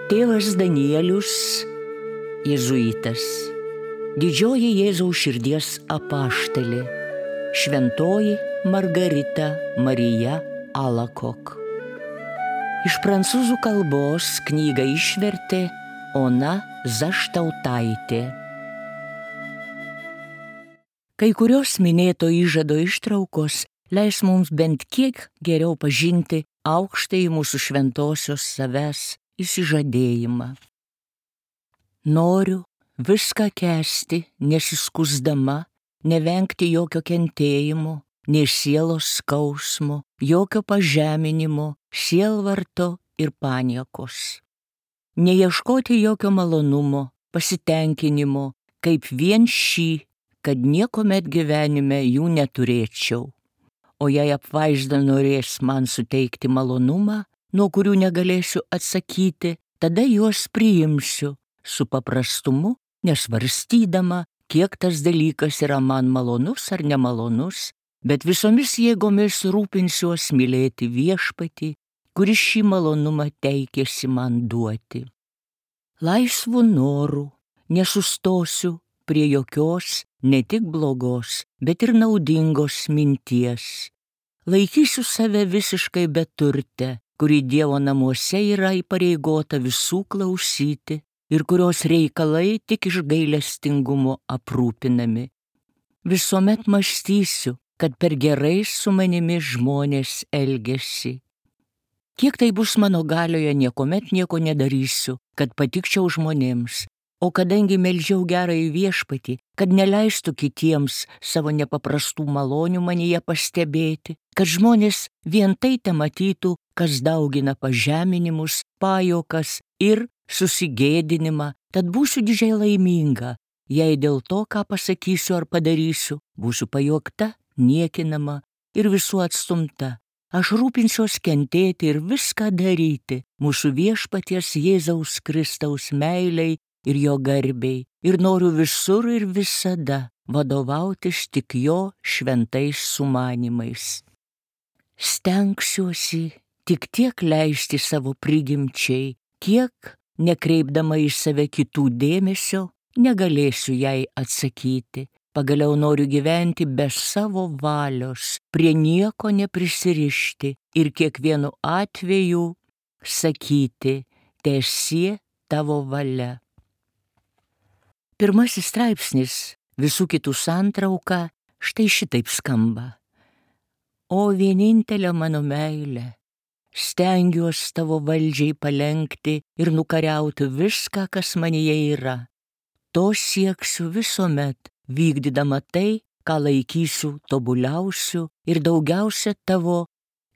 Tėvas Danielius, jėzuitas, didžioji Jėzaus širdies apaštalė, šventoji Margarita Marija Alacoque. Iš prancūzų kalbos knygą išvertė Ona Zaštautaitė. Kai kurios minėto įžado ištraukos leis mums bent kiek geriau pažinti aukštąjį mūsų šventosios savęs įsižadėjimą. Noriu viską kęsti, nesiskusdama, nevengti jokio kentėjimo, nei sielos skausmo, jokio pažeminimo, sielvarto ir paniekos. Neieškoti jokio malonumo, pasitenkinimo, kaip vien šį, kad niekuomet gyvenime jų neturėčiau. O jei apvaizda norės man suteikti malonumą, nuo kurių negalėsiu atsakyti, tada juos priimsiu su paprastumu, nesvarstydama, kiek tas dalykas yra man malonus ar nemalonus, bet visomis jėgomis rūpinsiuos mylėti viešpatį, kuris šį malonumą teikėsi man duoti. Laisvu noru nesustosiu prie jokios, ne tik blogos, bet ir naudingos minties. Laikysiu save visiškai beturtę, kuri Dievo namuose yra įpareigota visų klausyti ir kurios reikalai tik iš gailestingumo aprūpinami. Visuomet mąstysiu, kad per gerai su manimi žmonės elgiasi. Kiek tai bus mano galioje, niekuomet nieko nedarysiu, kad patikčiau žmonėms. O kadangi meldžiau gerąjį viešpatį, kad neleistų kitiems savo nepaprastų malonių manyje pastebėti, kad žmonės vien tai tematytų, kas daugina pažeminimus, pajuokas ir susigėdinimą, tad būsiu didžiai laiminga, jei dėl to, ką pasakysiu ar padarysiu, būsiu pajuokta, niekinama ir visų atstumta. Aš rūpinsiuos kentėti ir viską daryti mūsų viešpaties Jėzaus Kristaus meilei ir jo garbei, ir noriu visur ir visada vadovautis tik jo šventais sumanimais. Stengsiuosi tik tiek leisti savo prigimčiai, kiek, nekreipdama į save kitų dėmesio, negalėsiu jai atsakyti. Pagaliau noriu gyventi be savo valios, prie nieko neprisirišti ir kiekvienu atveju sakyti, teesie tavo valia. Pirmasis straipsnis, visų kitų santrauka, štai šitaip skamba. O vienintelė mano meilė, stengiuos tavo valdžiai palenkti ir nukariauti viską, kas manyje yra. To sieksiu visuomet, vykdydama tai, ką laikysiu tobuliausiu ir daugiausia tavo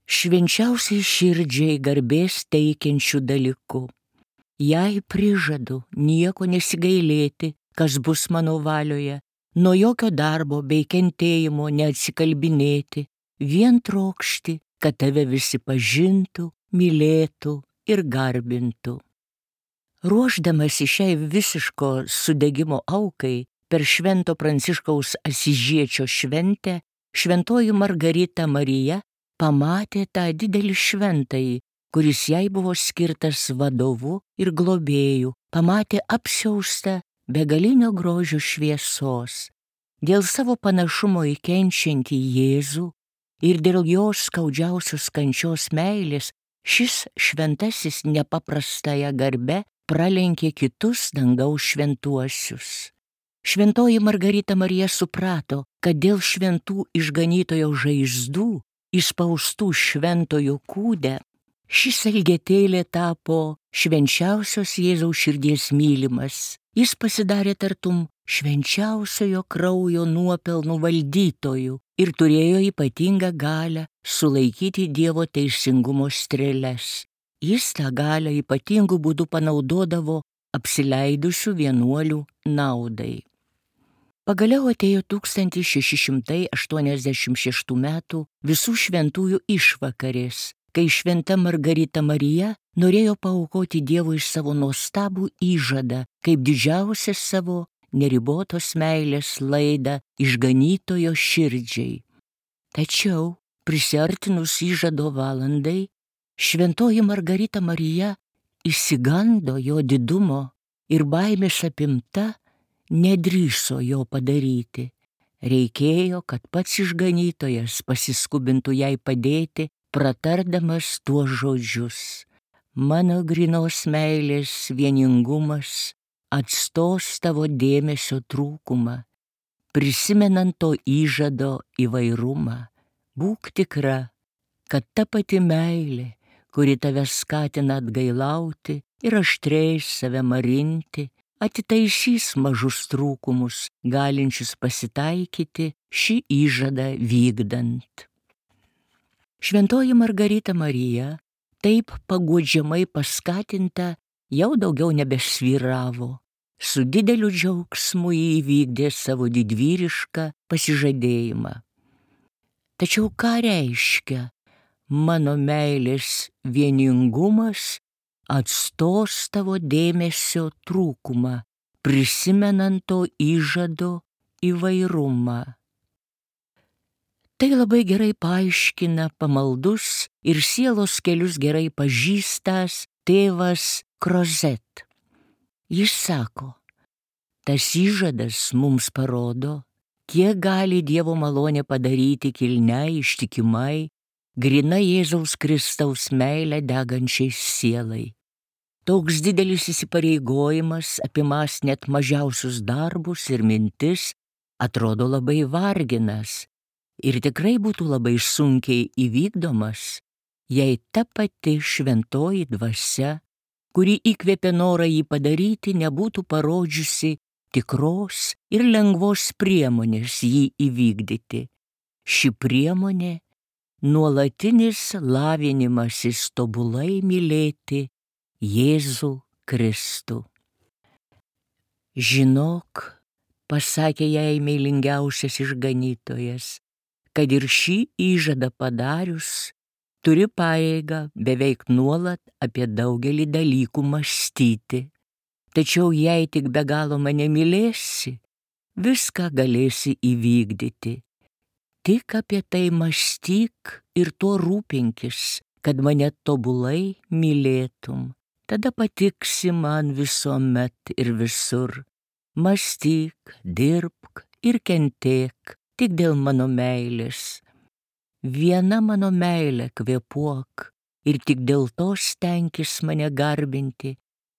švenčiausiai širdžiai garbės teikiančių dalykų. Jei prižadu nieko nesigailėti, kas bus mano valioje, nuo jokio darbo bei kentėjimo neatsikalbinėti, vien trokšti, kad tave visi pažintų, mylėtų ir garbintų. Ruošdamasi šiai visiško sudegimo aukai, per Švento Pranciškaus Asyžiečio šventę, šventoji Margarita Marija pamatė tą didelį šventąjį, kuris jai buvo skirtas vadovu ir globėju, pamatė apsiaustą begalinio grožio šviesos. Dėl savo panašumo į kenčiantį Jėzų ir dėl jo skaudžiausios kančios meilės, šis šventasis nepaprastąją garbę pralenkė kitus dangaus šventuosius. Šventoji Margarita Marija suprato, kad dėl šventų išganytojo žaizdų, įspaustų šventojo kūde, šis elgetėlė tapo švenčiausios Jėzaus širdies mylimas. Jis pasidarė tartum švenčiausiojo kraujo nuopelnų valdytojų ir turėjo ypatingą galią sulaikyti Dievo teisingumo strėles. Jis tą galią ypatingų būdų panaudodavo apsileidusių vienuolių naudai. Pagaliau atėjo 1686 metų visų šventųjų išvakarės, kai šventa Margarita Marija norėjo paaukoti Dievui savo nuostabų įžadą, kaip didžiausią savo neribotos meilės laidą išganytojo širdžiai. Tačiau, prisiartinus įžado valandai, šventoji Margarita Marija išsigando jo didumo ir baimės apimta nedrįso jo padaryti. Reikėjo, kad pats išganytojas pasiskubintų jai padėti, pratardamas tuos žodžius. Mano grynos meilės vieningumas atstos tavo dėmesio trūkumą, prisimenant to įžado įvairumą. Būk tikra, kad ta pati meilė, kuri tave skatina atgailauti ir aštriai save marinti, atitaisys mažus trūkumus, galinčius pasitaikyti šį įžadą vykdant. Šventoji Margarita Marija, taip paguodžiamai paskatinta, jau daugiau nebesvyravo. Su dideliu džiaugsmu jį įvykdė savo didvyrišką pasižadėjimą. Tačiau ką reiškia mano meilės vieningumas atstos tavo dėmesio trūkumą, prisimenant to įžado įvairumą? Tai labai gerai paaiškina pamaldus ir sielos kelius gerai pažįstas tėvas Crozet. Jis sako, tas įžadas mums parodo, kiek gali Dievo malonė padaryti kilniai, ištikimai, grina Jėzaus Kristaus meilę degančiai sielai. Toks didelis įsipareigojimas, apimąs net mažiausius darbus ir mintis, atrodo labai varginas ir tikrai būtų labai sunkiai įvykdomas, jei ta pati šventoji dvasia, kuri įkvėpė norą jį padaryti, nebūtų parodžiusi tikros ir lengvos priemonės jį įvykdyti. Ši priemonė – nuolatinis lavinimasis tobulai mylėti Jėzų Kristų. Žinok, pasakė jai meilingiausias išganytojas, kad ir šį įžadą padarius, turi pareigą beveik nuolat apie daugelį dalykų mąstyti. Tačiau jei tik be galo mane mylėsi, viską galėsi įvykdyti. Tik apie tai mąstyk ir tuo rūpinkis, kad mane tobulai mylėtum. Tada patiksi man visuomet ir visur. Mąstyk, dirbk ir kentėk tik dėl mano meilės. Viena mano meilė kvėpuok ir tik dėl to stenkis mane garbinti,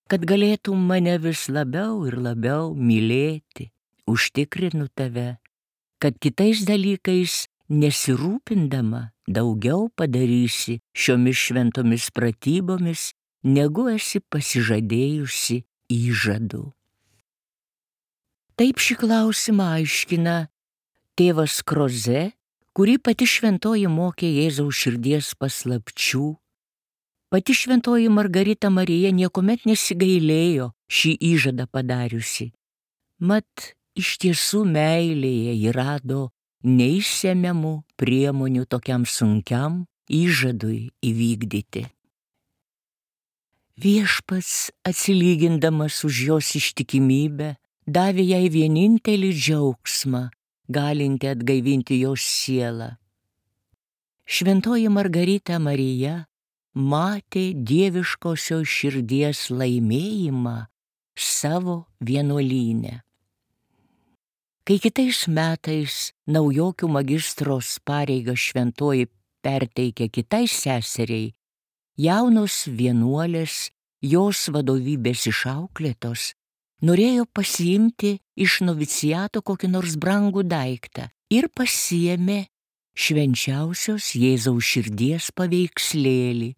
kad galėtum mane vis labiau ir labiau mylėti. Užtikrinu tave, kad kitais dalykais nesirūpindama daugiau padarysi šiomis šventomis pratybomis, negu esi pasižadėjusi įžadu. Taip šį klausimą aiškina tėvas Crozet, kurį pati šventoji mokė Jėzaus širdies paslapčių. Pati šventoji Margarita Marija niekuomet nesigailėjo šį įžadą padariusi. Mat, iš tiesų meilėje ji rado neišsemiamų priemonių tokiam sunkiam įžadui įvykdyti. Viešpats, atsilygindamas už jos ištikimybę, davė jai vienintelį džiaugsmą, galinti atgaivinti jos sielą. Šventoji Margarita Marija matė dieviškosios širdies laimėjimą savo vienuolyne. Kai kitais metais naujokių magistros pareigą šventoji perteikė kitai seseriai, jaunos vienuolės, jos vadovybės išauklėtos, norėjo pasiimti iš noviciato kokį nors brangų daiktą ir pasiėmė švenčiausios Jėzaus širdies paveikslėlį,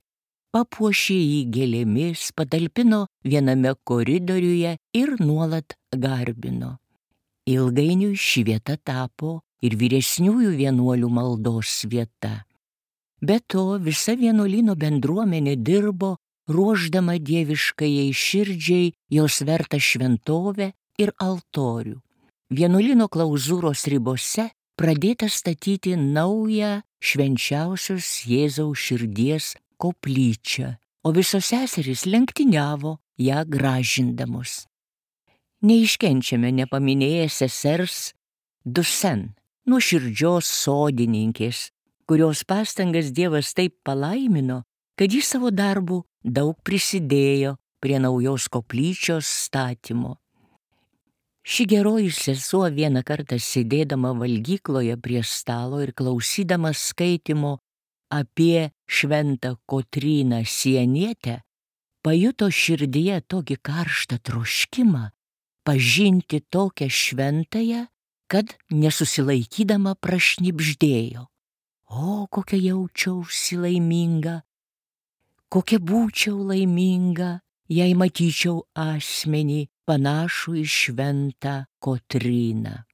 papuošė jį gėlėmis, patalpino viename koridoriuje ir nuolat garbino. Ilgainiui ši vieta tapo ir vyresniųjų vienuolių maldos vieta. Be to, visa vienuolyno bendruomenė dirbo, ruošdama dieviškajai širdžiai jos vertą šventovę ir altorių. Vienuolyno klauzūros ribose pradėta statyti naują švenčiausios Jėzaus širdies koplyčią, o visos seserys lenktyniavo ją gražindamos. Neiškenčiame nepaminėję sesers Dusen, nuoširdžios sodininkės, kurios pastangas Dievas taip palaimino, kad jis savo darbu daug prisidėjo prie naujos koplyčios statymo. Ši geroji sesuo vieną kartą sėdėdama valgykloje prie stalo ir klausydama skaitimo apie šventą Kotryną Sienietę, pajuto širdyje tokį karštą troškimą pažinti tokią šventąją, kad nesusilaikydama prašnibždėjo: o, kokia jaučiausi laiminga, kokia būčiau laiminga, jei matyčiau asmenį panašų į šventą Kotryną.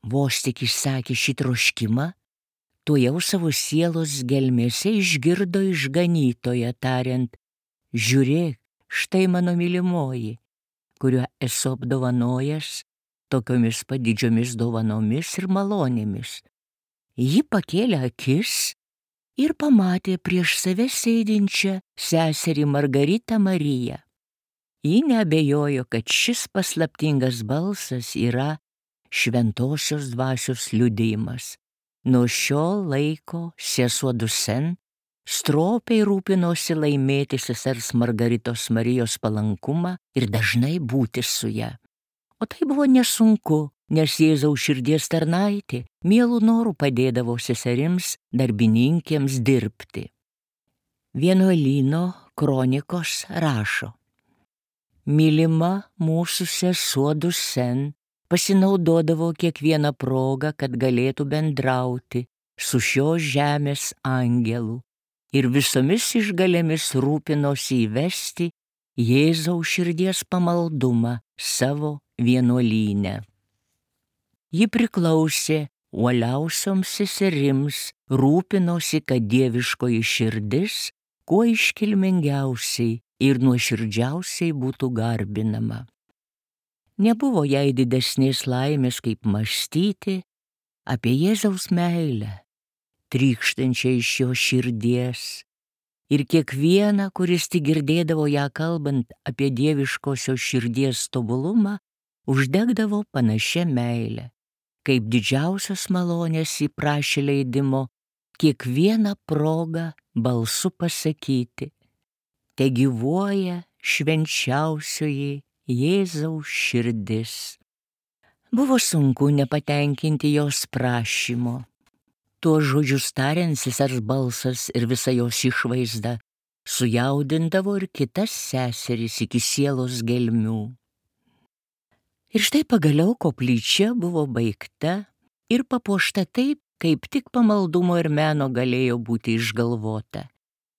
Vos tik išsakė šį troškimą, tuojau savo sielos gelmėse išgirdo išganytoją tariant: žiūrėk, štai mano mylimoji, kuriuo esu apdovanojęs tokiomis padidžiomis dovanomis ir malonėmis. Ji pakėlė akis ir pamatė prieš save sėdinčią seserį Margaritą Mariją. Ji neabejojo, kad šis paslaptingas balsas yra šventosios dvasios liudijimas. Nuo šio laiko sesuo Dusen stropiai rūpinosi laimėti sesers Margaritos Marijos palankumą ir dažnai būti su ja. O tai buvo nesunku, nes Jėzaus širdies tarnaitė mielų norų padėdavo seserims darbininkėms dirbti. Vienuolyno kronikos rašo: mylima mūsų sesuo Dusen pasinaudodavo kiekvieną progą, kad galėtų bendrauti su šios žemės angelu ir visomis išgalėmis rūpinosi įvesti Jėzaus širdies pamaldumą savo vienuolyne. Ji priklausė uoliausioms seserims, rūpinosi, kad dieviškoji širdis kuo iškilmingiausiai ir nuoširdžiausiai būtų garbinama. Nebuvo jai didesnės laimės, kaip mąstyti apie Jėzaus meilę, trykštančią iš jo širdies, ir kiekvieną, kuris tik girdėdavo ją kalbant apie dieviškosios širdies tobulumą, uždegdavo panašia meilė, kaip didžiausios malonės įprašė leidimo kiekvieną progą balsu pasakyti: te gyvuoja švenčiausioji Jėzaus širdis. Buvo sunku nepatenkinti jos prašymo. Tuos žodžius tariant, sesers balsas ir visa jos išvaizda sujaudindavo ir kitas seseris iki sielos gelmių. Ir štai pagaliau koplyčia buvo baigta ir papuošta taip, kaip tik pamaldumo ir meno galėjo būti išgalvota.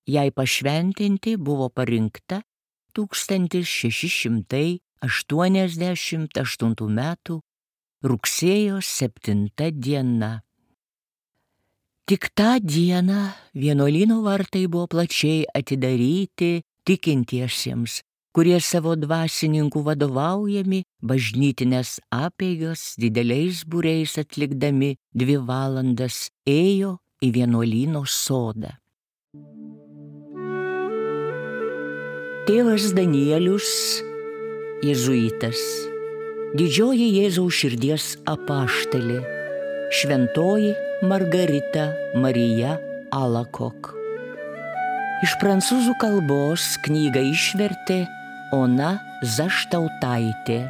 Jai pašventinti buvo parinkta 1688 metų rugsėjo 7 diena. Tik tą dieną vienuolyno vartai buvo plačiai atidaryti tikintiesiems, kurie savo dvasininkų vadovaujami bažnytinės apeigas dideliais būriais atlikdami 2 valandas ėjo į vienuolyno sodą. Tėvas Danielius, jėzuitas, didžioji Jėzaus širdies apaštalė, šventoji Margarita Marija Alakok. Iš prancūzų kalbos knygą išvertė Ona Zaštautaitė.